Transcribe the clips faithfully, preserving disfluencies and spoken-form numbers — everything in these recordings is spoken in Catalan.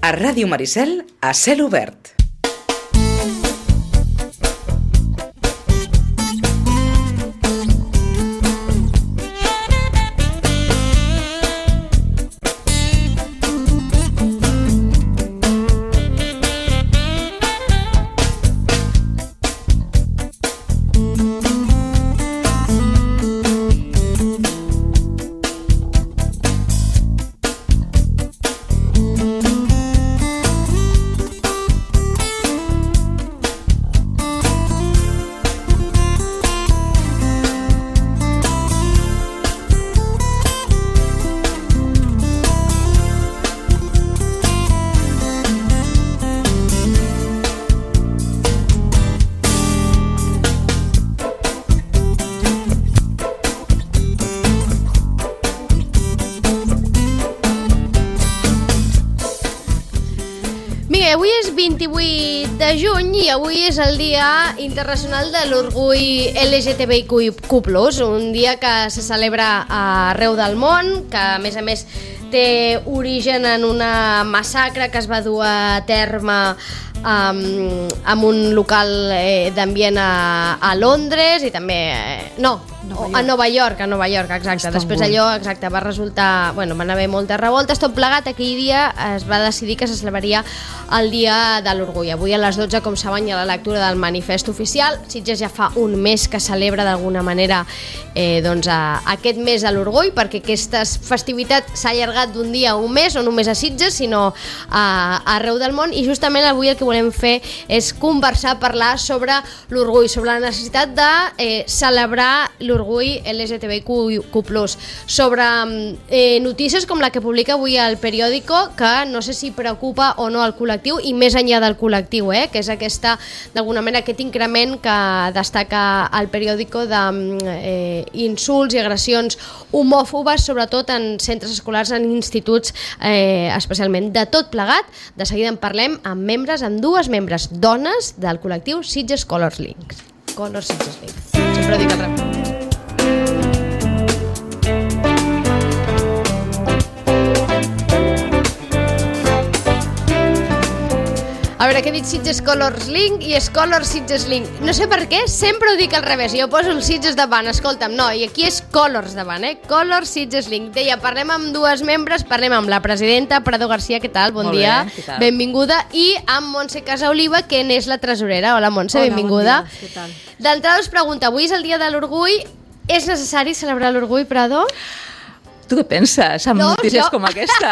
A Ràdio Maricel, a cel obert. Avui és vint-i-vuit de juny i avui és el Dia Internacional de l'Orgull L G T B I Q plus, un dia que se celebra arreu del món, que a més a més té origen en una massacre que es va dur a terme um, en un local eh, d'ambient a, a Londres i també... Eh, no, Nova a Nova York, a Nova York, exacte. Istanbul. Després allò, exacte, va resultar... Bueno, van haver moltes revoltes, tot plegat. Aquell dia es va decidir que se celebraria el Dia de l'Orgull. Avui a les dotze, com saben, hi ha la lectura del manifest oficial. Sitges ja fa un mes que celebra d'alguna manera eh, doncs, a, aquest mes de l'Orgull, perquè aquesta festivitat s'ha allargat d'un dia a un mes, no només a Sitges, sinó a, a arreu del món. I justament avui el que volem fer és conversar, parlar sobre l'orgull, sobre la necessitat de eh, celebrar l'orgull l'orgull L G T B I Q plus, sobre eh, notícies com la que publica avui el periòdico, que no sé si preocupa o no el col·lectiu, i més enllà del col·lectiu, eh, que és aquesta, d'alguna manera, aquest increment que destaca el periòdico d'insults eh, i agressions homòfobes, sobretot en centres escolars, en instituts, eh, especialment. De tot plegat, de seguida en parlem amb membres, amb dues membres, dones del col·lectiu Sitges Colors Link. Colors Sitges Link. Sempre ho dic al rep. A veure, què he dit Sitges Colors Link i és Colors Sitges Link. No sé per què, sempre ho dic al revés. Jo poso el Sitges davant, escolta'm, no, i aquí és Colors davant, eh? Colors Sitges Link. Deia, parlem amb dues membres, parlem amb la presidenta, Prado García, què tal? Bon Molt dia, bé, què tal? Benvinguda, i amb Montse Casaoliva, que n'és la tresorera. Hola, Montse, Hola, benvinguda. Bon dia, què tal? D'entrada us pregunta, avui és el Dia de l'Orgull, és necessari celebrar l'orgull, Prado? Tu què penses amb No, notícies jo- com aquesta?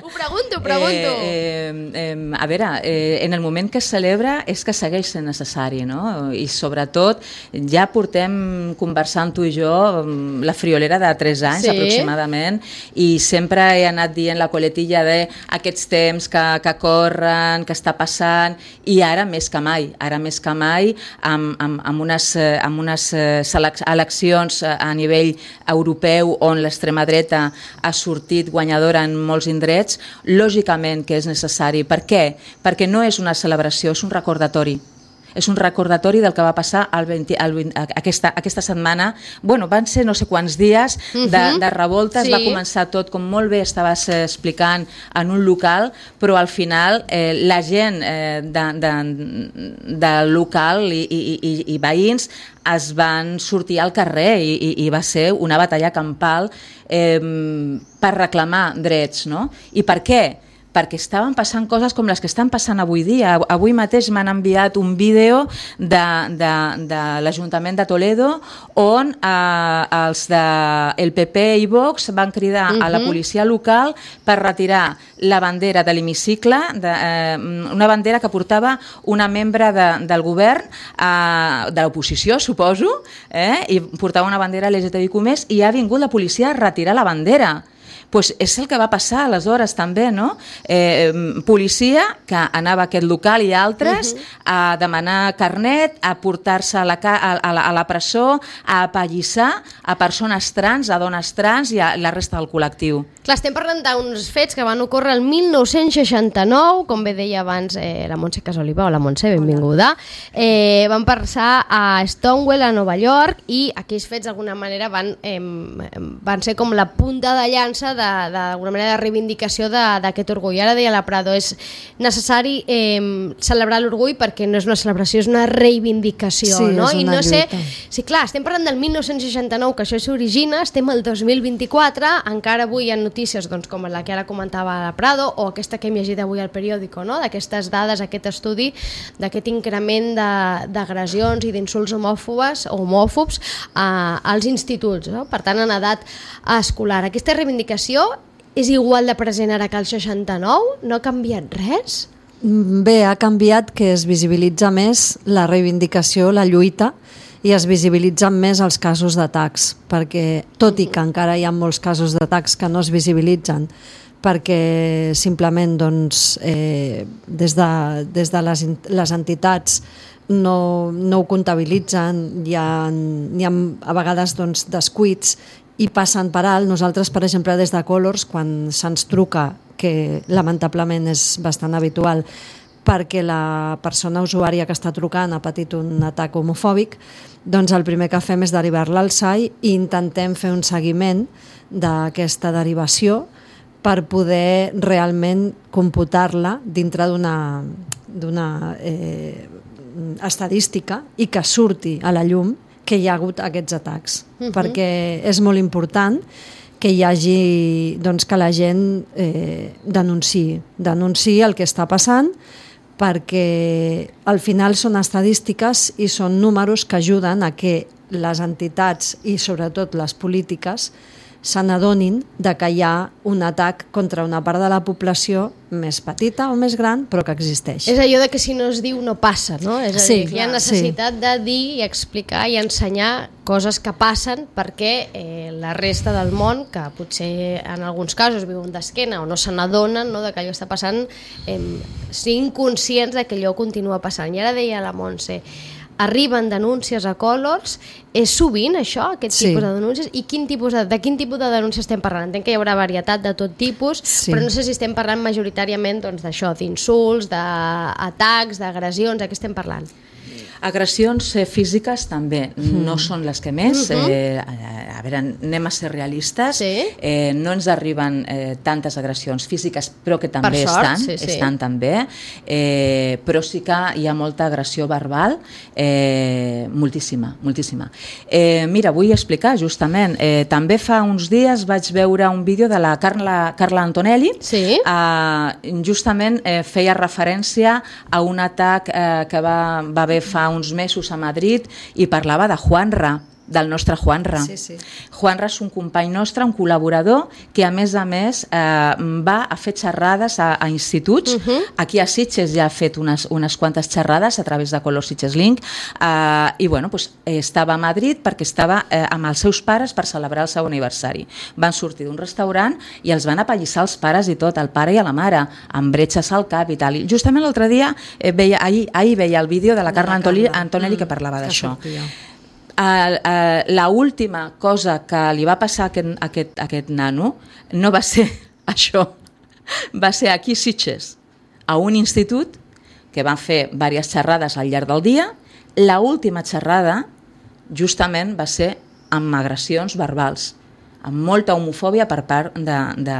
Ho pregunto, ho pregunto. Eh, eh, eh, a veure, eh, en el moment que es celebra és que segueix sent necessari, no? I sobretot ja portem conversant tu i jo mm, la friolera de tres anys Sí. aproximadament, i sempre he anat dient la coletilla de aquests temps que, que corren, que està passant, i ara més que mai, ara més que mai amb, amb, amb unes, eh, amb unes eh, selec- eleccions a nivell europeu on l'extrema dreta ha sortit guanyadora en molts indrets, lògicament que és necessari. Per què? Perquè no és una celebració, és un recordatori. És un recordatori del que va passar el vint, el vint, aquesta, aquesta setmana. Bueno, van ser no sé quants dies de, Mhm. de revoltes, Sí. va començar tot, com molt bé estaves eh, explicant, en un local, però al final eh, la gent eh, de, de, del local i, i, i, i veïns es van sortir al carrer i, i, i va ser una batalla campal eh, per reclamar drets, no? I per què? Perquè estaven passant coses com les que estan passant avui dia. Avui mateix m'han enviat un vídeo de, de, de l'Ajuntament de Toledo on eh, els del P P i Vox van cridar uh-huh. a la policia local per retirar la bandera de l'hemicicle, de, eh, una bandera que portava una membre de, del govern, eh, de l'oposició, suposo, eh, i portava una bandera L G T B I Q més, i ha vingut la policia a retirar la bandera. Pues és el que va passar aleshores també, no? Eh, policia que anava a aquest local i altres uh-huh. a demanar carnet, a portar-se a la, a, a, la, a la presó, a apallissar a persones trans, a dones trans i a la resta del col·lectiu. Clar, estem parlant d'uns fets que van ocórrer el mil nou-cents seixanta-nou, com bé deia abans eh, la Montse Casaoliva. Hola, Montse, benvinguda. Eh, van passar a Stonewall, a Nova York, i aquells fets d'alguna manera van, eh, van ser com la punta de llança de d'alguna manera de reivindicació d'aquest orgull. Ara deia la Prado, és necessari eh, celebrar l'orgull perquè no és una celebració, és una reivindicació. Sí, no? és una I no lluita. sé, sí, clar, estem parlant del mil nou-cents seixanta-nou, que això s'origina, estem al dos mil vint-i-quatre, encara avui hi ha notícies doncs, com la que ara comentava la Prado, o aquesta que hem llegit avui al periòdico, no? D'aquestes dades, aquest estudi, d'aquest increment d'agressions i d'insults homòfobes o homòfobs a, als instituts, no? Per tant, en edat escolar. Aquesta reivindicació és igual de present ara que el seixanta-nou? No ha canviat res? Bé, ha canviat que es visibilitza més la reivindicació, la lluita, i es visibilitzen més els casos d'atacs, perquè tot i que encara hi ha molts casos d'atacs que no es visibilitzen, perquè simplement doncs, eh, des de, des de les, les entitats no, no ho comptabilitzen, hi ha, hi ha a vegades doncs, descuits i passen per alt. Nosaltres, per exemple, des de Colors, quan se'ns truca, que lamentablement és bastant habitual, perquè la persona usuària que està trucant ha patit un atac homofòbic, doncs el primer que fem és derivar-la al S A I i intentem fer un seguiment d'aquesta derivació per poder realment computar-la dintre d'una d'una eh, estadística i que surti a la llum que hi ha hagut aquests atacs, uh-huh. perquè és molt important que hi hagi, doncs, que la gent eh, denunciï, denunciï el que està passant, perquè al final són estadístiques i són números que ajuden a que les entitats i sobretot les polítiques se n'adonin de que hi ha un atac contra una part de la població més petita o més gran, però que existeix. És allò de que si no es diu no passa, no? És a dir, sí, que hi ha necessitat sí. de dir i explicar i ensenyar coses que passen perquè eh, la resta del món, que potser en alguns casos viuen d'esquena o no se n'adonen, no, de que allò està passant, eh, siguin conscients de que allò continua passant. I ara deia la Montse, arriben denúncies a Colors, és sovint això, aquest sí. tipus de denúncies, i quin tipus de, de quin tipus de denúncies estem parlant? Entenc que hi haurà varietat de tot tipus, sí. però no sé si estem parlant majoritàriament doncs, d'això, d'insults, d'atacs, d'agressions, de què estem parlant? Agressions eh, físiques també mm. no són les que més. Mm-hmm. eh, a, a veure, anem a ser realistes. Sí. Eh, no ens arriben eh, tantes agressions físiques, però que també per sort, estan, sí, sí. estan també. Eh, però sí que hi ha molta agressió verbal, eh, moltíssima, moltíssima. Eh, mira, vull explicar justament, eh, també fa uns dies vaig veure un vídeo de la Carla, Carla Antonelli, sí. eh, justament eh, feia referència a un atac eh, que va, va haver fa uns mesos a Madrid i parlava de Juanra, del nostre Juanra. Sí, sí. Juanra és un company nostre, un col·laborador, que a més a més eh, va a fer xerrades a, a instituts. Uh-huh. Aquí a Sitges ja ha fet unes, unes quantes xerrades a través de Color Sitges Link eh, i bueno, pues, estava a Madrid perquè estava eh, amb els seus pares per celebrar el seu aniversari. Van sortir d'un restaurant i els van apallissar els pares i tot, el pare i a la mare, amb bretxes al cap i tal. I justament l'altre dia, eh, veia, ahir, ahir veia el vídeo de la Carla Antonelli, Antonelli mm, que parlava d'això. Uh, uh, la última cosa que li va passar a aquest, a aquest, a aquest nano no va ser això, va ser aquí a Sitges, a un institut que van fer diverses xerrades al llarg del dia. La última xerrada justament va ser amb agressions verbals, amb molta homofòbia per part de, de,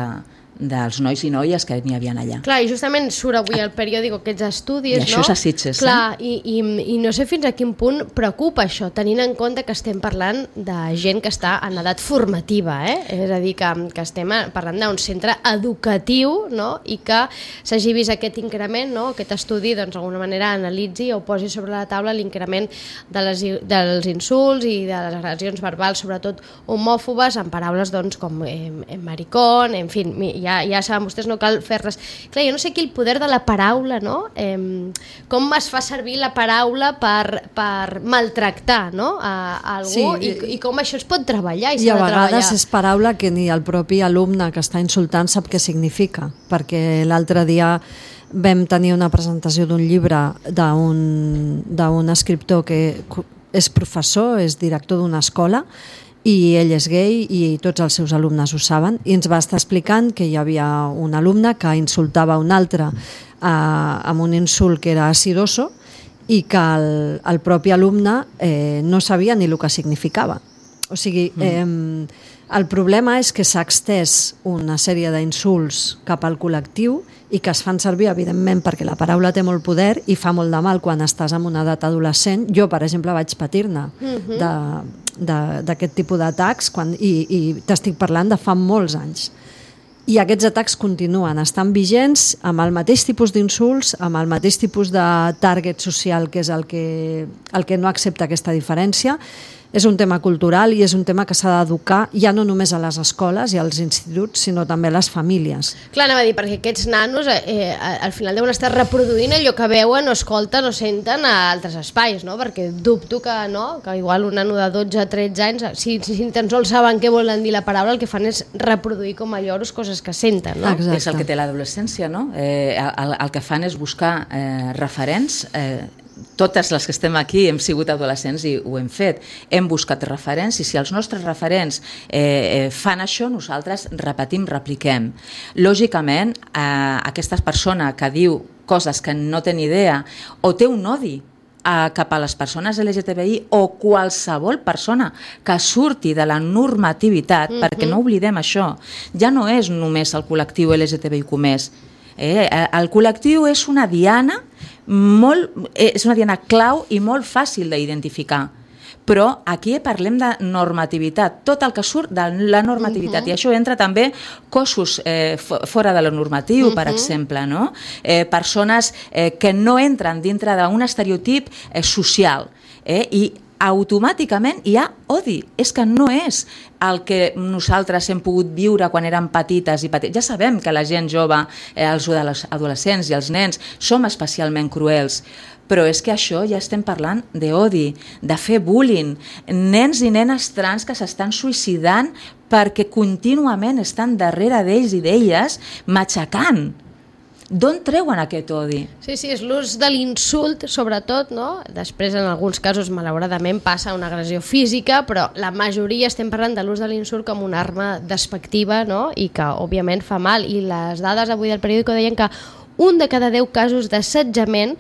dels nois i noies que n'hi havia allà. Clar, i justament surt avui al periòdic aquests estudis, I això no? és a Sitges, Clar, eh? i, i, i no sé fins a quin punt preocupa això, tenint en compte que estem parlant de gent que està en edat formativa, eh? És a dir, que, que estem parlant d'un centre educatiu, no? I que s'hagi vist aquest increment, no? Aquest estudi, doncs, d'alguna manera analitzi o posi sobre la taula l'increment de les, dels insults i de les agressions verbals, sobretot homòfobes, en paraules doncs, com eh, maricón, en fi, ja, ja saben vostès, no cal fer res. Clar, jo no sé aquí el poder de la paraula, no? Eh, com es fa servir la paraula per, per maltractar, no? a, a algú, sí, i, i com això es pot treballar i, i a vegades treballar. És paraula que ni el propi alumne que està insultant sap què significa, perquè l'altre dia vam tenir una presentació d'un llibre d'un d'un escriptor que és professor, és director d'una escola, i ell és gay i tots els seus alumnes ho saben, i ens va estar explicant que hi havia un alumne que insultava un altre eh, amb un insult que era acidoso i que el, el propi alumne eh, no sabia ni el que significava. O sigui, eh, El problema és que s'ha extès una sèrie d'insults cap al col·lectiu i que es fan servir, evidentment, perquè la paraula té molt poder i fa molt de mal quan estàs en una edat adolescent. Jo, per exemple, vaig patir-ne uh-huh. d'aquest tipus d'atacs i, i t'estic parlant de fa molts anys. I aquests atacs continuen, estan vigents amb el mateix tipus d'insults, amb el mateix tipus de target social, que és el que, el que no accepta aquesta diferència. És un tema cultural i és un tema que s'ha d'educar ja no només a les escoles i als instituts, sinó també a les famílies. Clar, anava a dir, perquè aquests nanos eh, al final deuen estar reproduint allò que veuen o escolten o senten a altres espais, no? Perquè dubto que no, que igual un nano de dotze tretze anys, si, si tan sols saben què volen dir la paraula, el que fan és reproduir com a lloros coses que senten, no? Exacte. És el que té l'adolescència, no? Eh, el, el que fan és buscar eh, referents. Eh, totes les que estem aquí hem sigut adolescents i ho hem fet. Hem buscat referents i si els nostres referents eh, fan això, nosaltres repetim, repliquem. Lògicament, eh, aquesta persona que diu coses que no té ni idea o té un odi a, cap a les persones L G T B I o qualsevol persona que surti de la normativitat, mm-hmm. perquè no oblidem això, ja no és només el col·lectiu L G T B I com és. Eh, el col·lectiu és una diana molt, és una diana clau i molt fàcil d'identificar, però aquí parlem de normativitat, tot el que surt de la normativitat, uh-huh. i això entra també cossos eh, fora de lo normatiu, uh-huh. per exemple, no? eh, persones eh, que no entren dintre d'un estereotip eh, social, eh, i automàticament hi ha odi. És que no és el que nosaltres hem pogut viure quan érem petites i petites. Ja sabem que la gent jove, eh, els adolescents i els nens, som especialment cruels, però és que això ja estem parlant d'odi, de fer bullying, nens i nenes trans que s'estan suïcidant perquè contínuament estan darrere d'ells i d'elles matxacant. D'on treuen aquest odi? Sí, sí, és l'ús de l'insult, sobretot, no? Després, en alguns casos, malauradament, passa una agressió física, però la majoria estem parlant de l'ús de l'insult com una arma despectiva, no? I que, òbviament, fa mal. I les dades avui del periòdico deien que un de cada deu casos d'assetjament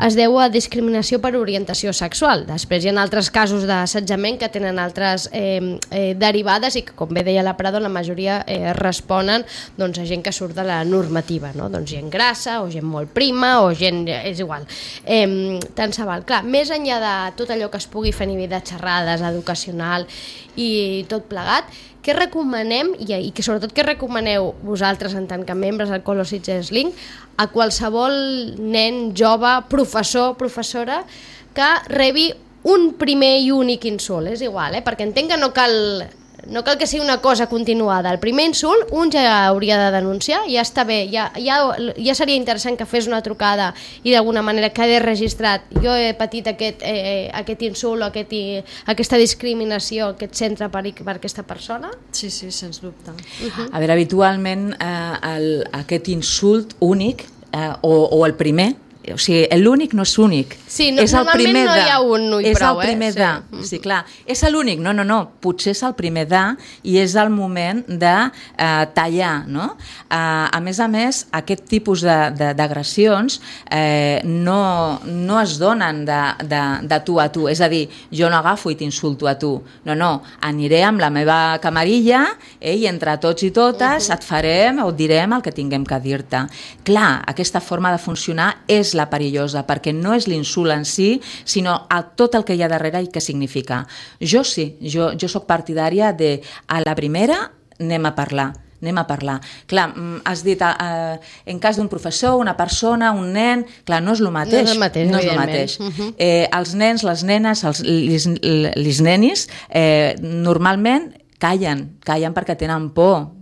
es deu a discriminació per orientació sexual. Després hi ha altres casos d'assetjament que tenen altres eh, eh, derivades i que, com bé deia la Prado, la majoria eh, responen doncs, a gent que surt de la normativa, no? Doncs gent grassa o gent molt prima o gent... és igual. Eh, tant se val. Clar, més enllà de tot allò que es pugui fer a nivell de xerrades, educacional i tot plegat, què recomanem, i, i que sobretot què recomaneu vosaltres en tant que membres del Colo Sitges Link a qualsevol nen, jove, professor, professora que rebi un primer i únic insult? És igual, eh? Perquè entenc que no cal, no cal que sigui una cosa continuada. El primer insult un ja hauria de denunciar, ja està bé, ja, ja, ja seria interessant que fes una trucada i d'alguna manera quedi registrat. Jo he patit aquest, eh, aquest insult o aquest, aquesta discriminació, aquest centre per, per aquesta persona? Sí, sí, sens dubte. Uh-huh. A veure, habitualment eh, el, aquest insult únic eh, o, o el primer, o sigui, l'únic no és únic. Sí, no, és el normalment no hi ha un no i és prou, el primer eh? de, sí. Sí, clar. És l'únic? No, no, no. Potser és el primer de i és el moment de eh, tallar, no? Eh, a més a més, aquest tipus d'agressions eh, no, no es donen de, de, de tu a tu. És a dir, jo no agafo i t'insulto a tu. No, no. Aniré amb la meva camarilla eh, i entre tots i totes uh-huh. et farem o et direm el que tinguem que dir-te. Clar, aquesta forma de funcionar és la perillosa, perquè no és l'insult en si, sinó a tot el que hi ha darrere i què significa. Jo sí, jo, jo soc partidària de a la primera anem a parlar, anem a parlar. Clar, has dit, eh, en cas d'un professor, una persona, un nen, clar, no és el mateix. No és el mateix, no és el mateix. Uh-huh. eh, els nens, les nenes, els, les, les nenis, eh, normalment callen, callen perquè tenen por.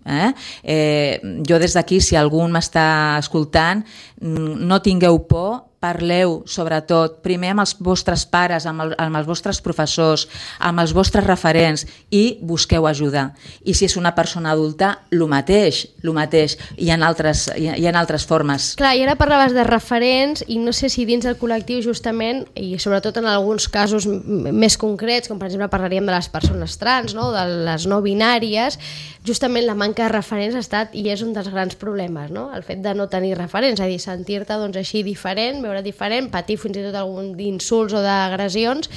Eh? Eh, jo des d'aquí, si algú m'està escoltant, no tingueu por, parleu sobretot primer amb els vostres pares, amb, el, amb els vostres professors, amb els vostres referents i busqueu ajuda. I si és una persona adulta, el mateix, el mateix. Hi ha altres, hi ha, hi ha altres formes. Clar, i ara parlaves de referents i no sé si dins del col·lectiu justament, i sobretot en alguns casos més concrets, com per exemple parlaríem de les persones trans, no? De les no binàries, justament la manca de referents ha estat i és un dels grans problemes, no? El fet de no tenir referents, és a dir, sentir-te doncs, així diferent, veure diferent, patir fins i tot algun d'insults o d'agressions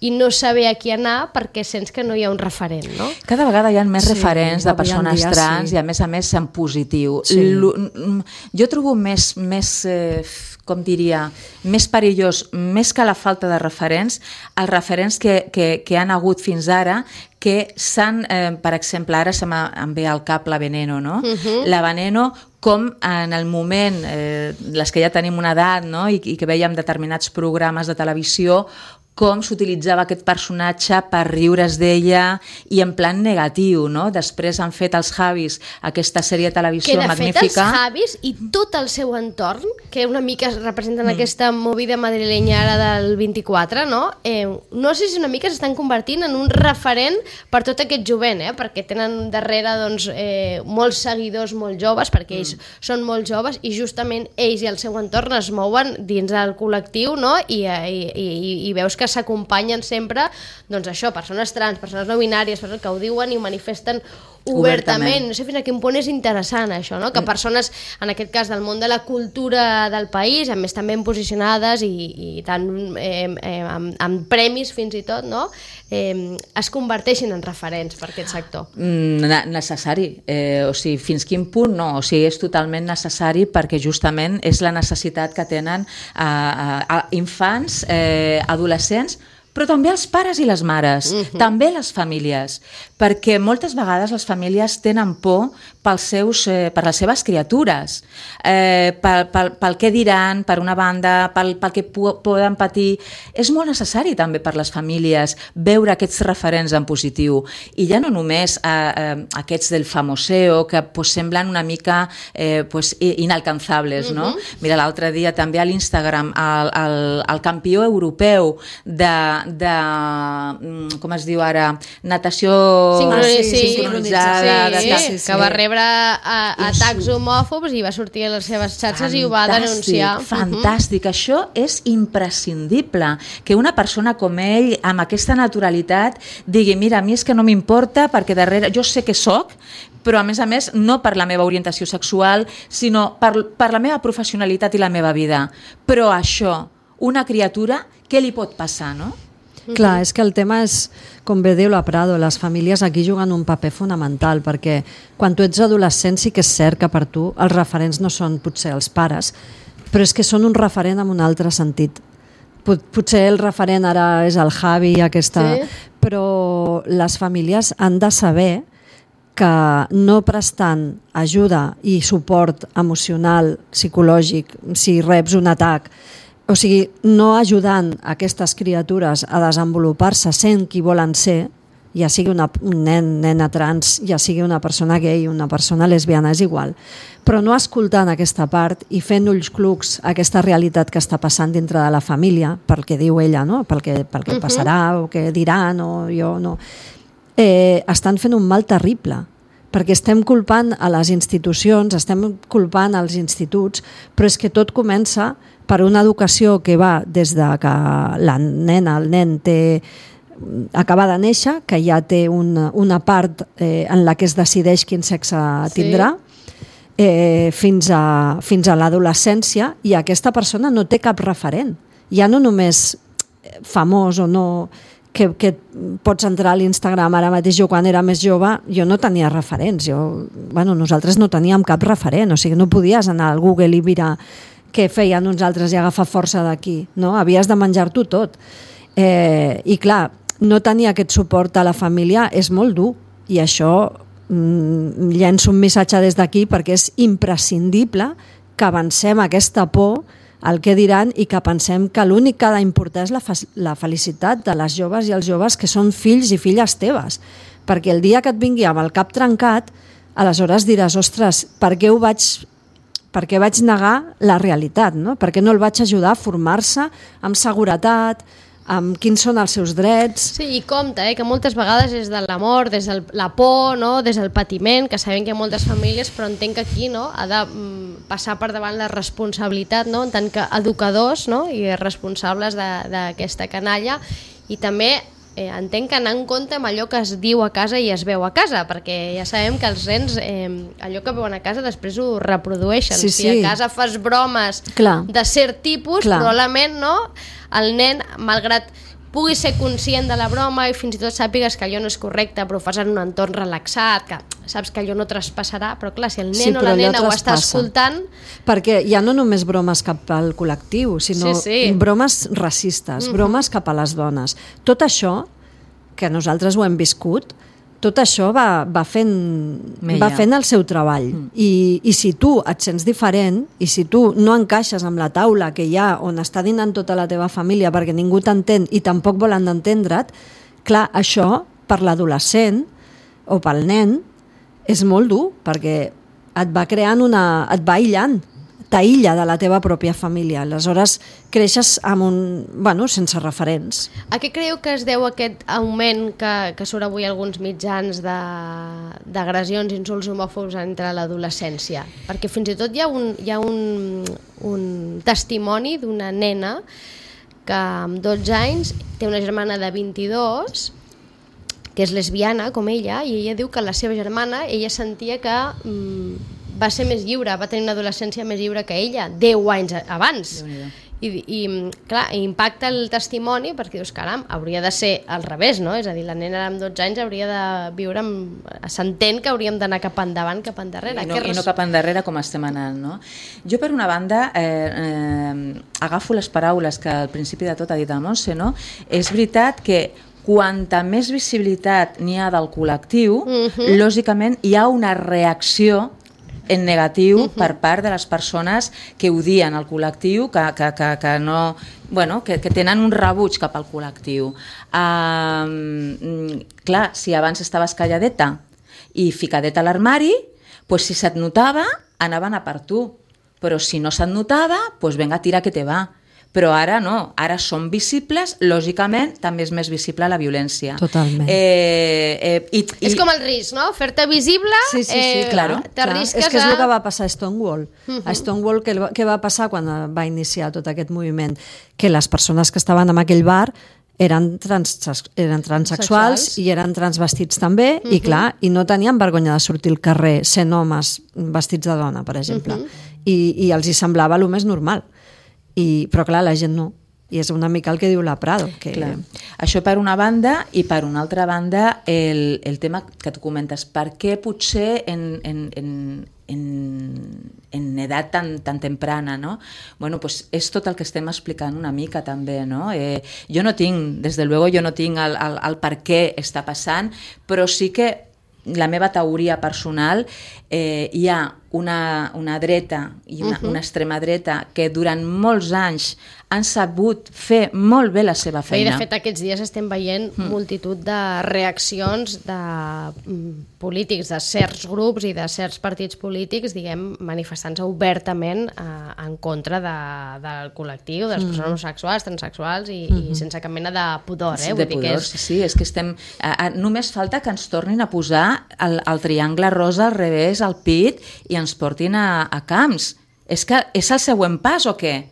i no saber a qui anar perquè sents que no hi ha un referent, no? Cada vegada hi ha més Sí, referents de avui en persones dia trans sí. i a més a més en positiu. Sí. L- Jo trobo més, més eh, com diria, més perillós, més que la falta de referents, els referents que, que, que han hagut fins ara, que s'han, eh, per exemple, ara se em ve al cap la Veneno, no? Uh-huh. La Veneno, com en el moment, eh, les que ja tenim una edat, no? I, i que veiem determinats programes de televisió, com s'utilitzava aquest personatge per riure's d'ella i en plan negatiu, no? Després han fet els Javis aquesta sèrie de televisió que de magnífica. fet els Javis i tot el seu entorn, que una mica representen mm. aquesta movida madrilenya ara del vint-i-quatre, no? Eh, no sé si una mica s'estan convertint en un referent per tot aquest jovent, eh? Perquè tenen darrere doncs, eh, molts seguidors molt joves, perquè ells mm. són molt joves i justament ells i el seu entorn es mouen dins del col·lectiu, no? I, i, i, i veus que que s'acompanyen sempre, doncs això, persones trans, persones no binàries, persones que ho diuen i ho manifesten obertament. obertament. No sé fins a quin punt és interessant això, no? Que persones, en aquest cas del món de la cultura del país, a més també ben posicionades i, i tant eh, eh, amb, amb premis fins i tot, no? Eh, es converteixin en referents per aquest sector. Mm, necessari, eh, o sigui, fins quin punt no, o sigui, és totalment necessari perquè justament és la necessitat que tenen a, a, a infants, eh, adolescents, però també els pares i les mares, uh-huh. també les famílies, perquè moltes vegades les famílies tenen por pels seus, eh, per les seves criatures, eh, pel, pel, pel què diran, per una banda, pel, pel que poden patir. És molt necessari també per les famílies veure aquests referents en positiu, i ja no només eh, eh, aquests del famoseo, que pues, semblen una mica eh, pues, inalcançables, no? Uh-huh. Mira, l'altre dia també a l'Instagram el, el, el campió europeu de de, com es diu ara, natació Sincroni- sí, sincronitzada, sí, de, sí, sí, que va rebre a, atacs homòfobs i va sortir a les seves xarxes fantàstic, i ho va denunciar. Fantàstic, uh-huh. Això és imprescindible, que una persona com ell, amb aquesta naturalitat, digui, mira, a mi és que no m'importa perquè darrere, jo sé que soc, però a més a més no per la meva orientació sexual, sinó per, per la meva professionalitat i la meva vida. Però això, una criatura, què li pot passar, no? Clar, és que el tema és, com bé diu la Prado, les famílies aquí juguen un paper fonamental, perquè quan tu ets adolescent sí que és cert que per tu els referents no són potser els pares, però és que són un referent en un altre sentit. Pot, potser el referent ara és el Javi, aquesta, sí. Però les famílies han de saber que no prestant ajuda i suport emocional, psicològic, si reps un atac, o sigui, no ajudant aquestes criatures a desenvolupar-se sent qui volen ser, ja sigui una, un nen, nena trans, ja sigui una persona gay, una persona lesbiana, és igual, però no escoltant aquesta part i fent ulls clucs a aquesta realitat que està passant dintre de la família, pel que diu ella, no? pel que, pel que uh-huh. passarà o què diran o jo no, eh, estan fent un mal terrible, perquè estem culpant a les institucions, estem culpant als instituts, però és que tot comença per una educació que va des de que la nena, el nen té, acaba de néixer, que ja té una, una part eh, en la que es decideix quin sexe tindrà, sí. eh, fins a, fins a l'adolescència, i aquesta persona no té cap referent. Ja no només famós o no... Que, que pots entrar a l'Instagram ara mateix. Jo quan era més jove jo no tenia referents, jo, bueno, nosaltres no teníem cap referent, o sigui, no podies anar al Google i mirar què feien uns altres i agafar força d'aquí, no? Havies de menjar-t'ho tot, eh, i clar, no tenir aquest suport a la família és molt dur, i això mm, llenço un missatge des d'aquí perquè és imprescindible que avancem aquesta por el que diran i que pensem que l'únic que ha d'importar és la, la felicitat de les joves i els joves que són fills i filles teves, perquè el dia que et vingui amb el cap trencat, aleshores diràs, ostres, per què ho vaig, per què vaig negar la realitat, no? Per què no el vaig ajudar a formar-se amb seguretat, amb quins són els seus drets. Sí, i compte, eh, que moltes vegades és de l'amor, des de la por, no? Des del patiment, que sabem que hi ha moltes famílies, però entenc que aquí, no? Ha de mm, passar per davant la responsabilitat, no? En tant que educadors, no? I responsables d'aquesta canalla, i també eh, entenc que anar en compte amb allò que es diu a casa i es veu a casa, perquè ja sabem que els nens eh, allò que veuen a casa després ho reprodueixen. Sí, sí. Si a casa fas bromes Clar. de cert tipus, Clar. probablement, no? El nen, malgrat puguis ser conscient de la broma i fins i tot sàpigues que allò no és correcte, però ho fas en un entorn relaxat, que saps que allò no traspassarà, però clar, si el nen Sí, o però la allò nena ho està traspassa. escoltant... Perquè hi ha no només bromes cap al col·lectiu, sinó Sí, sí. bromes racistes, bromes cap a les dones. Tot això, que nosaltres ho hem viscut, tot això va, va, fent, Mella. va fent el seu treball. Mm. I, I si tu et sents diferent, i si tu no encaixes amb la taula que hi ha on està dinant tota la teva família perquè ningú t'entén i tampoc volen entendre't, clar, això per l'adolescent o pel nen és molt dur, perquè et va creant una... et va aïllant, t'aïlla de la teva pròpia família. Aleshores, creixes amb un... bueno, sense referents. A què creieu que es deu aquest augment que, que surt avui alguns mitjans de- d'agressions i insults homòfobs entre l'adolescència? Perquè fins i tot hi ha un, hi ha un, un testimoni d'una nena que amb dotze anys té una germana de vint-i-dos que és lesbiana com ella, i ella diu que la seva germana, ella sentia que mm, va ser més lliure, va tenir una adolescència més lliure que ella, deu anys abans. I, i clar, impacta el testimoni perquè dius, caram, hauria de ser al revés, no? És a dir, la nena amb dotze anys hauria de viure amb... s'entén que hauríem d'anar cap endavant, cap endarrere. I no, Què i no res... cap endarrere com estem anant, no? Jo, per una banda, eh, eh, agafo les paraules que al principi de tot ha dit el Montse, no? És veritat que quanta més visibilitat n'hi ha del col·lectiu, uh-huh. lògicament hi ha una reacció en negatiu uh-huh. per part de les persones que odien el col·lectiu, que, que, que, que, no, bueno, que, que tenen un rebuig cap al col·lectiu. Um, clar, si abans estaves calladeta i ficadeta a l'armari, pues si se't notava, anaven a per tu. Però si no se't notava, pues venga, tira que te va. Però ara no, ara són visibles, lògicament també és més visible la violència. Totalment. Eh, eh, i, i... És com el risc, no? Fer-te visible, Sí, sí, sí, eh, claro, t'arrisques És que és a... el que va passar a Stonewall. Uh-huh. A Stonewall, què, què va passar quan va iniciar tot aquest moviment? Que les persones que estaven en aquell bar eren, trans, eren transexuals Sexuals. i eren transvestits també, uh-huh. i clar, i no tenien vergonya de sortir al carrer sent homes vestits de dona, per exemple. Uh-huh. I, I els hi semblava el més normal. I, però clar, la gent no. I és una mica el que diu la Prado. Que... Clar. Això per una banda, i per una altra banda el, el tema que tu comentes, per què potser en, en, en, en, en edat tan, tan temprana, no? Bueno, pues és tot el que estem explicant una mica també, no? Eh, jo no tinc, des de luego, jo no tinc el, el, el per què està passant, però sí que la meva teoria personal, eh, hi ha una, una dreta i una, uh-huh. una extrema dreta que durant molts anys han sabut fer molt bé la seva I feina. de fet aquests dies estem veient mm. multitud de reaccions de mm, polítics, de certs grups i de certs partits polítics, diguem, manifestant-se obertament eh, en contra de, del col·lectiu, de les persones homosexuals, transexuals i, mm-hmm. i sense cap mena de pudor. Eh? De Vull dir pudor, que és... sí, sí, és que estem... Eh, eh, només falta que ens tornin a posar el, el triangle rosa al revés, al pit, i ens portin a, a camps. És que és el següent pas o què?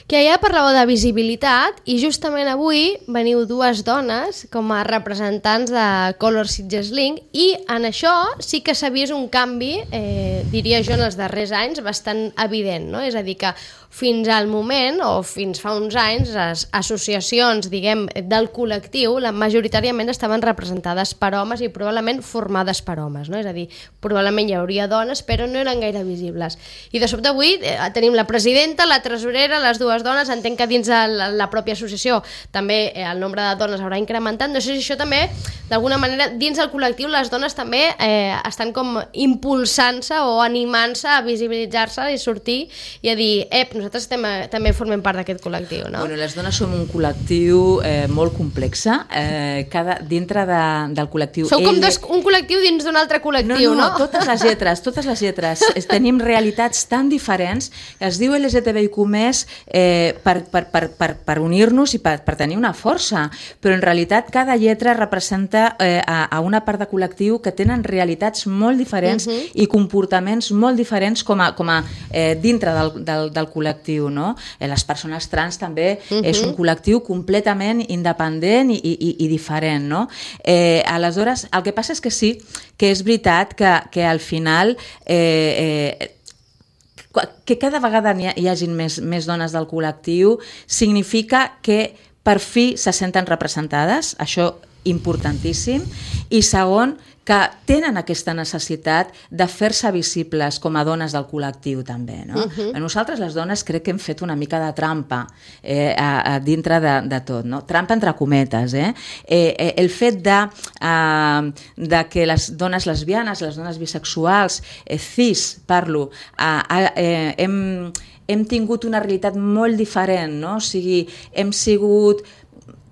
Que ja parlàveu de visibilitat i justament avui veniu dues dones com a representants de Color Sitges Link i en això sí que s'ha vist un canvi, eh, diria jo, en els darrers anys bastant evident, no? És a dir, que fins al moment, o fins fa uns anys, les associacions, diguem, del col·lectiu, la majoritàriament estaven representades per homes i probablement formades per homes, no? És a dir, probablement hi hauria dones, però no eren gaire visibles. I de sobte avui eh, tenim la presidenta, la tresorera, les dues dones, entenc que dins de la, la pròpia associació també eh, el nombre de dones haurà incrementat. No sé si això també, d'alguna manera, dins del col·lectiu les dones també eh, estan com impulsant-se o animant-se a visibilitzar-se i sortir i a dir, ep, nosaltres estem, també formem part d'aquest col·lectiu, no? Bueno, les dones som un col·lectiu eh, molt complex, eh, cada, dintre de, del col·lectiu. Sou com L... dos, un col·lectiu dins d'un altre col·lectiu, no? No, no? totes les lletres, totes les lletres. Tenim realitats tan diferents, es diu L G T B I Q més eh, per, per, per, per, per unir-nos i per, per tenir una força, però en realitat cada lletra representa eh, a, a una part de col·lectiu que tenen realitats molt diferents uh-huh. i comportaments molt diferents com a, com a eh, dintre del, del, del col·lectiu, no? Eh, les persones trans també uh-huh. és un col·lectiu completament independent i, i, i diferent, no? Eh, aleshores, el que passa és que sí, que és veritat que, que al final eh, eh, que cada vegada hi hagi més, més dones del col·lectiu significa que per fi se senten representades, això importantíssim, i segon, que tenen aquesta necessitat de fer-se visibles com a dones del col·lectiu també, no? Uh-huh. Nosaltres les dones crec que hem fet una mica de trampa eh, a, a dintre de, de tot, no? Trampa entre cometes, eh? eh, eh el fet de, eh, de que les dones lesbianes, les dones bisexuals, eh, cis, parlo, eh, eh, hem, hem tingut una realitat molt diferent, no? O sigui, hem sigut...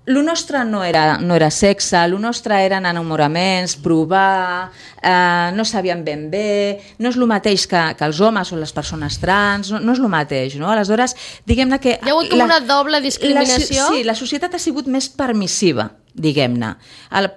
Lo nostre no era, no era sexe, lo nostre eren enamoraments, provar, eh, no sabíem ben bé, no és el mateix que, que els homes o les persones trans, no, no és el mateix, no? Aleshores, diguem-ne que... Hi ha hagut com la, una doble discriminació? La, sí, la societat ha sigut més permissiva, diguem-ne.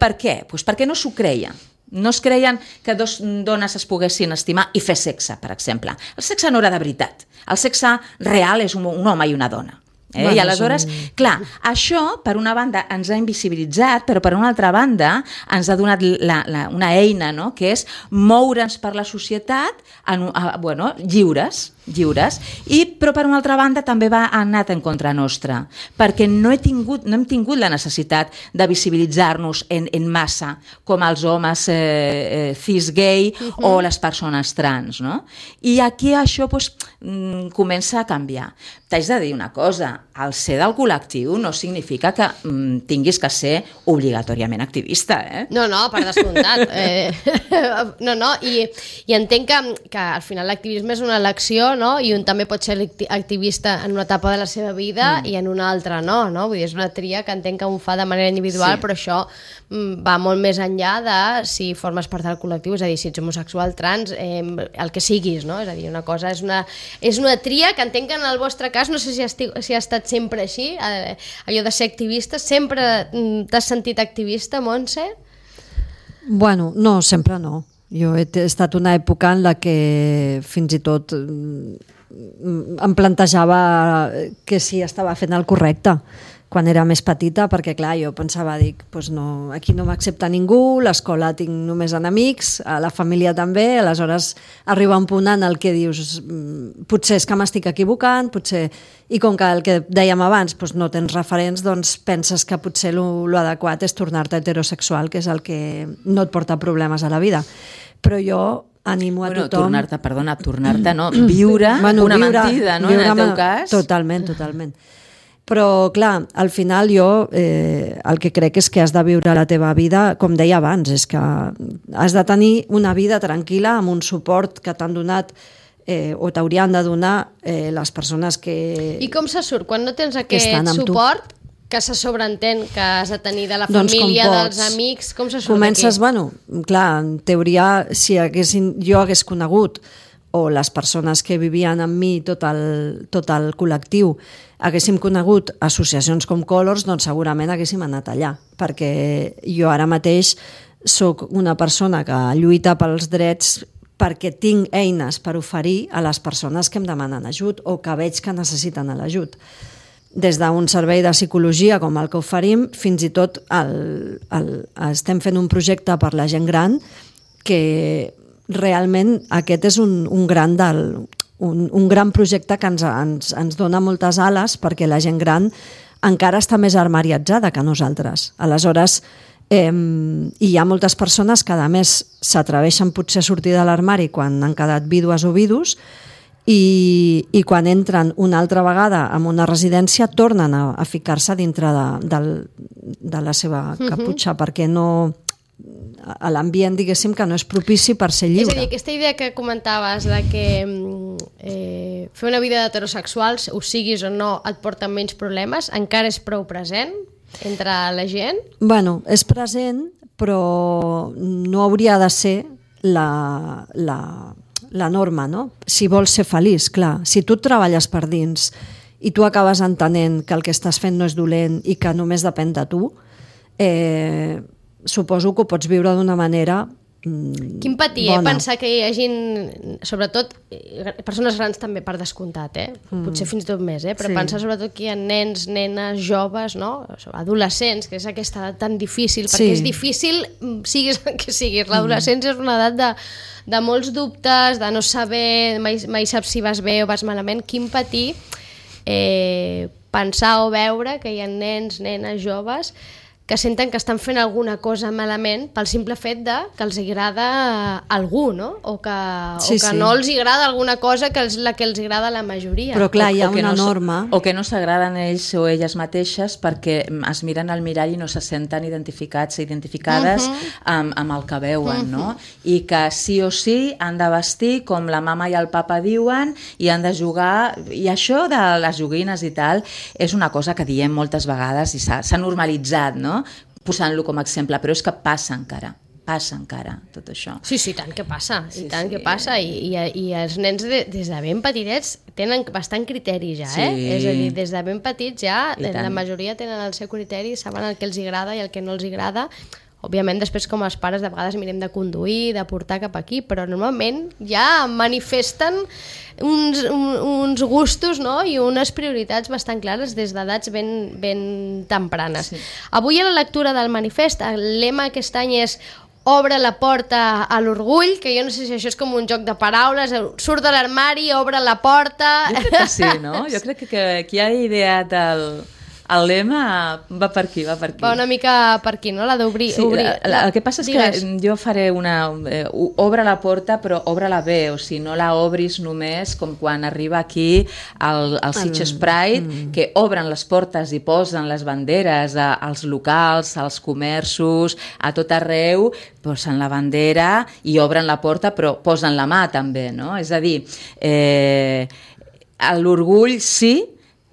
Per què? Pues perquè no s'ho creia. No es creien que dos dones es poguessin estimar i fer sexe, per exemple. El sexe no era de veritat. El sexe real és un, un home i una dona. Eh? Bueno, I aleshores, un... clar, això per una banda ens ha invisibilitzat, però per una altra banda ens ha donat la, la, una eina, no?, que és moure'ns per la societat en, a, bueno, lliures, lliures, i, però per una altra banda també va anat en contra nostra, perquè no, he tingut, no hem tingut la necessitat de visibilitzar-nos en, en massa com els homes eh, eh, cis-gay uh-huh. o les persones trans, no? I aquí això pues, mm, comença a canviar. T'haig de dir una cosa, el ser del col·lectiu no significa que mm, tinguis que ser obligatòriament activista, eh? No, no, per descomptat. eh, no, no, i, i entenc que, que al final l'activisme és una elecció, no? I un també pot ser activista en una etapa de la seva vida mm. i en una altra no, no? Vull dir, és una tria que entenc que un fa de manera individual, sí. però això mm, va molt més enllà de si formes part del col·lectiu, és a dir, si ets homosexual, trans, eh, el que siguis, no? És a dir, una cosa és una, és una tria que entenc que en el vostre cas, no sé si ha, esti, si ha estat sempre així, eh, allò de ser activista, sempre t'has sentit activista, Montse? Bueno, no, sempre no. Jo he estat una època en la que fins i tot em plantejava que sí estava fent el correcte quan era més petita, perquè clar, jo pensava, dic, pues no, aquí no m'accepta ningú, l'escola tinc només enemics, a la família també, aleshores arriba un punt en el que dius potser és que m'estic equivocant, potser... I com que el que dèiem abans pues no tens referents, doncs penses que potser l'adequat és tornar-te heterosexual, que és el que no et porta problemes a la vida. Però jo animo a bueno, tothom... Tornar-te, perdona, tornar-te, no? Viure bueno, una viure, mentida, no? En el teu cas. Totalment, totalment. Però, clar, al final jo eh, el que crec és que has de viure la teva vida, com deia abans, és que has de tenir una vida tranquil·la amb un suport que t'han donat eh, o t'haurien de donar eh, les persones que... I com se surt? Quan no tens aquest suport, tu, que se sobreentén que has de tenir de la doncs família, dels amics, com se surt Comences, aquí? Bueno, clar, en teoria, si haguessin, jo hagués conegut o les persones que vivien amb mi, tot el, tot el col·lectiu, haguéssim conegut associacions com Colors, doncs segurament haguéssim anat allà, perquè jo ara mateix sóc una persona que lluita pels drets perquè tinc eines per oferir a les persones que em demanen ajut o que veig que necessiten l'ajut. Des d'un servei de psicologia com el que oferim, fins i tot el, el, estem fent un projecte per la gent gran que realment aquest és un, un, gran del, un, un gran projecte que ens, ens, ens dona moltes ales perquè la gent gran encara està més armariatzada que nosaltres. Aleshores, eh, hi ha moltes persones que a més s'atreveixen potser a sortir de l'armari quan han quedat vídues o vidus i, i quan entren una altra vegada en una residència tornen a, a ficar-se dintre de, de, de la seva caputxa uh-huh. perquè no... a l'ambient, diguéssim, que no és propici per ser lliure. És a dir, aquesta idea que comentaves de que eh, fer una vida d'heterosexuals, ho siguis o no, et porta menys problemes, encara és prou present entre la gent? Bueno, és present, però no hauria de ser la, la, la norma, no? Si vols ser feliç, clar. Si tu treballes per dins i tu acabes entenent que el que estàs fent no és dolent i que només depèn de tu, eh, suposo que ho pots viure d'una manera mm, Quin patir, eh? Pensar que hi hagi, sobretot, persones grans també per descomptat, eh? Mm. Potser fins i tot més, eh? Però sí. Pensar sobretot que hi ha nens, nenes, joves, no? Adolescents, que és aquesta edat tan difícil, perquè sí. És difícil, siguis el que siguis. L'adolescència mm. és una edat de, de molts dubtes, de no saber, mai, mai saps si vas bé o vas malament. Quin patir eh, pensar o veure que hi ha nens, nenes, joves que senten que estan fent alguna cosa malament pel simple fet de que els agrada algú, no? O que, sí, o que sí. no els agrada alguna cosa que és la que els agrada a la majoria. Però clar, hi ha o que una no, norma... O que no s'agraden ells o elles mateixes perquè es miren al mirall i no se senten identificats, identificades uh-huh. amb, amb el que veuen, uh-huh. no? I que sí o sí han de vestir com la mama i el papa diuen i han de jugar... I això de les joguines i tal és una cosa que diem moltes vegades i s'ha, s'ha normalitzat, no? Posant-lo com a exemple, però és que passa encara, passa encara tot això. Sí, sí, tant que passa, sí, i tant sí. que passa, i, i, i els nens de, des de ben petitets tenen bastant criteri ja, eh? Sí. És a dir, des de ben petits ja, I la tant. majoria tenen el seu criteri, saben el que els agrada i el que no els agrada. Òbviament, després com els pares de vegades mirem de conduir, de portar cap aquí, però normalment ja manifesten uns, un, uns gustos, no? I unes prioritats bastant clares des d'edats ben, ben tempranes. Sí. Avui a la lectura del manifest, el lema aquest any és obre la porta a l'orgull, que jo no sé si això és com un joc de paraules, surt de l'armari, obre la porta... Jo crec que sí, no? Jo crec que, que qui ha ideat el... El lema va per aquí, va per aquí. Va una mica per aquí, no? La d'obrir. Sí, obrir, la, la, el que passa és Digues. que jo faré una... Eh, obre la porta, però obre-la bé, o sigui, no la obris només com quan arriba aquí el, el Sitges Pride, mm. que obren les portes i posen les banderes a, als locals, als comerços, a tot arreu, posen la bandera i obren la porta, però posen la mà també, no? És a dir, eh, l'orgull sí,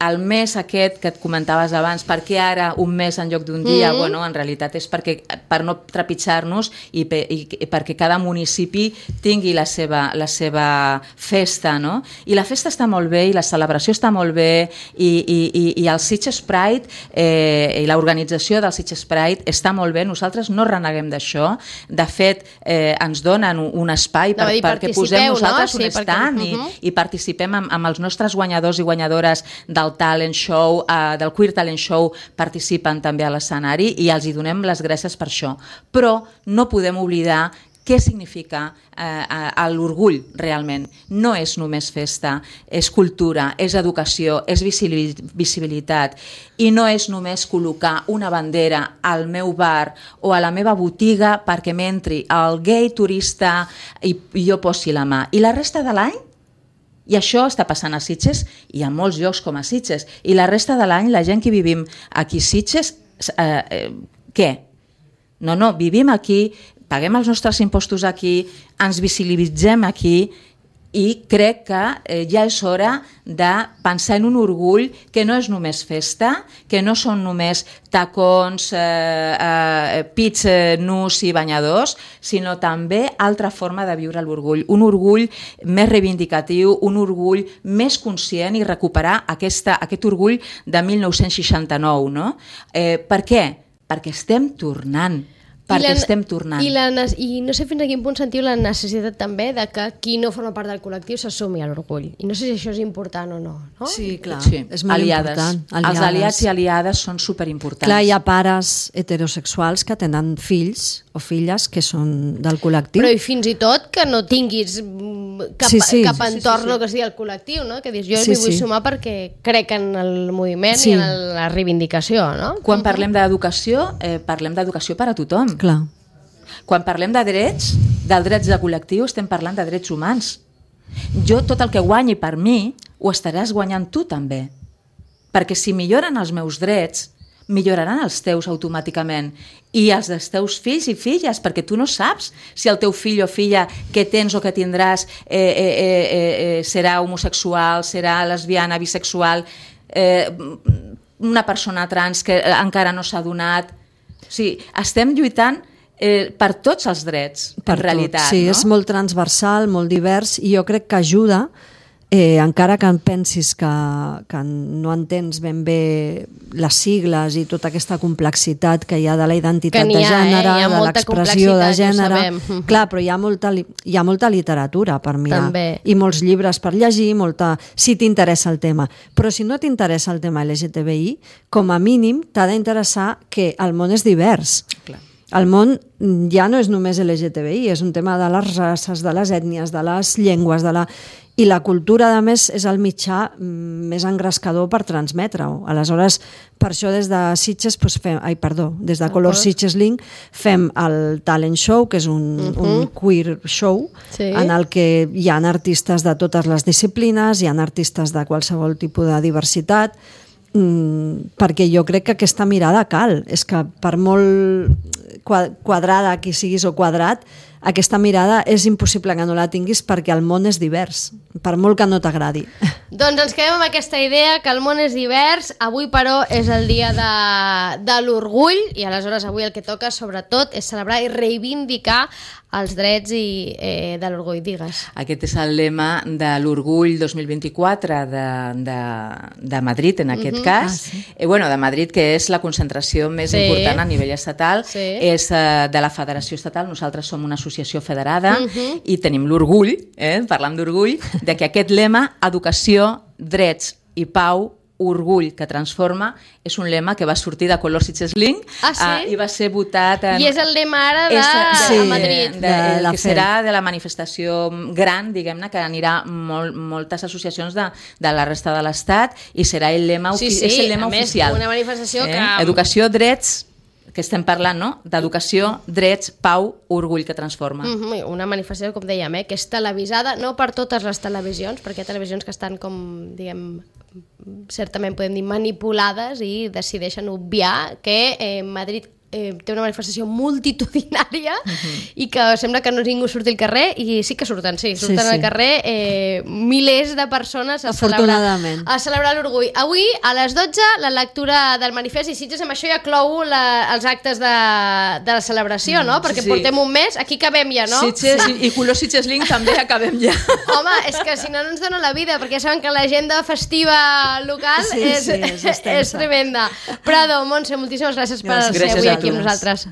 el mes aquest que et comentaves abans, per què ara un mes en lloc d'un dia? Mm-hmm. Bueno, en realitat és perquè, per no trepitjar-nos i, pe, i, i perquè cada municipi tingui la seva, la seva festa, no? I la festa està molt bé i la celebració està molt bé i, i, i, i el Sitges Pride eh, i l'organització del Sitges Pride està molt bé, nosaltres no reneguem d'això, de fet eh, ens donen un, un espai per, no, perquè posem nosaltres no? sí, un stand perquè... uh-huh. i, i participem amb, amb els nostres guanyadors i guanyadores del talent show, uh, del Queer Talent Show, participen també a l'escenari i els hi donem les gràcies per això. Però no podem oblidar què significa eh, l'orgull realment. No és només festa, és cultura, és educació, és visibilitat i no és només col·locar una bandera al meu bar o a la meva botiga perquè m'entri el gay turista i, i jo posi la mà. I la resta de l'any? I això està passant a Sitges i a molts llocs com a Sitges. I la resta de l'any, la gent que vivim aquí a Sitges, eh, eh, què? No, no, vivim aquí, paguem els nostres impostos aquí, ens visibilitzem aquí i crec que eh, ja és hora de pensar en un orgull que no és només festa, que no són només tacons, eh, eh, pits eh, nus i banyadors, sinó també altra forma de viure l'orgull. Un orgull més reivindicatiu, un orgull més conscient i recuperar aquesta, aquest orgull de mil nou-cents seixanta-nou. No? Eh, per què? Perquè estem tornant. Perquè la, estem tornant. I, la, I no sé fins a quin punt sentiu la necessitat també de que qui no forma part del col·lectiu s'assumi a l'orgull. I no sé si això és important o no. no? Sí, clar, sí. és molt aliades. important. Aliades. Els aliats i aliades són superimportants. Clar, hi ha pares heterosexuals que tenen fills o filles que són del col·lectiu. Però i fins i tot que no tinguis cap, sí, sí. cap entorn sí, sí, sí. que sigui el col·lectiu, no? Que dius, jo sí, m'hi vull sí. sumar perquè crec en el moviment sí. i en la reivindicació, no? Quan parlem d'educació, eh, parlem d'educació per a tothom. Clar. Quan parlem de drets, dels drets de col·lectiu, estem parlant de drets humans. Jo tot el que guanyi per mi ho estaràs guanyant tu també. Perquè si milloren els meus drets, milloraran els teus automàticament i els dels teus fills i filles, perquè tu no saps si el teu fill o filla que tens o que tindràs eh, eh, eh, eh, serà homosexual, serà lesbiana, bisexual, eh, una persona trans que encara no s'ha donat. O sigui, estem lluitant Eh, per tots els drets, per en tot. realitat. Sí, no? és molt transversal, molt divers i jo crec que ajuda, eh, encara que pensis que, que no entens ben bé les sigles i tota aquesta complexitat que hi ha de la identitat de gènere, eh? de l'expressió de gènere. Clar, però hi ha, molta, hi ha molta literatura per mirar També. i molts llibres per llegir, molta, si t'interessa el tema. Però si no t'interessa el tema L G T B I, com a mínim t'ha d'interessar que el món és divers. Clar. El món ja no és només L G T B I, és un tema de les races, de les ètnies, de les llengües, de la... i la cultura, a més, és el mitjà més engrescador per transmetre-ho. Aleshores, per això des de Sitges, doncs fem, ai, perdó, des de Color Sitges Link fem el Talent Show, que és un, uh-huh. un queer show, sí. en el que hi ha artistes de totes les disciplines, hi ha artistes de qualsevol tipus de diversitat, mm, perquè jo crec que aquesta mirada cal. És que per molt quadrada que siguis o quadrat, aquesta mirada és impossible que no la tinguis perquè el món és divers, per molt que no t'agradi. Doncs ens quedem amb aquesta idea que el món és divers. Avui, però, és el dia de, de l'orgull i aleshores avui el que toca, sobretot, és celebrar i reivindicar els drets i, eh, de l'orgull. Digues. Aquest és el lema de l'orgull dos mil vint-i-quatre de, de, de Madrid, en aquest uh-huh. cas. Ah, sí. eh, bueno, de Madrid, que és la concentració més sí. important a nivell estatal. Sí. És eh, de la Federació Estatal. Nosaltres som una associació federada uh-huh. i tenim l'orgull, eh, parlant d'orgull, de que aquest lema, educació, drets i pau, orgull que transforma, és un lema que va sortir de Color Sitges Link ah, sí? uh, i va ser votat en... I és el lema ara de, de, sí, de Madrid. De, de, de el que serà de la manifestació gran, diguem-ne, que anirà molt, moltes associacions de, de la resta de l'Estat i serà el lema, sí, sí, és el lema més, oficial. Una manifestació eh? que... Educació, drets, que estem parlant, no? D'educació, drets, pau, orgull que transforma. Mm-hmm. Una manifestació, com dèiem, eh? que és televisada, no per totes les televisions, perquè hi ha televisions que estan com, diguem, certament podem dir manipulades i decideixen obviar que eh, Madrid eh, té una manifestació multitudinària uh-huh. i que sembla que no ningú surti al carrer i sí que surten, sí, surten sí, sí. al carrer eh, milers de persones a celebrar, a celebrar l'orgull. Avui a les dotze la lectura del manifest i Sitges amb això ja clou la, els actes de, de la celebració, no? Perquè sí, sí. portem un mes, aquí acabem ja, no? Sitges sí. i, i Color Sitges Link també acabem ja. Home, és que si no no ens dona la vida, perquè ja saben que l'agenda festiva local sí, és, sí, és, és tremenda. Prado, Montse, moltíssimes gràcies per gràcies ser avui aquí amb nosaltres.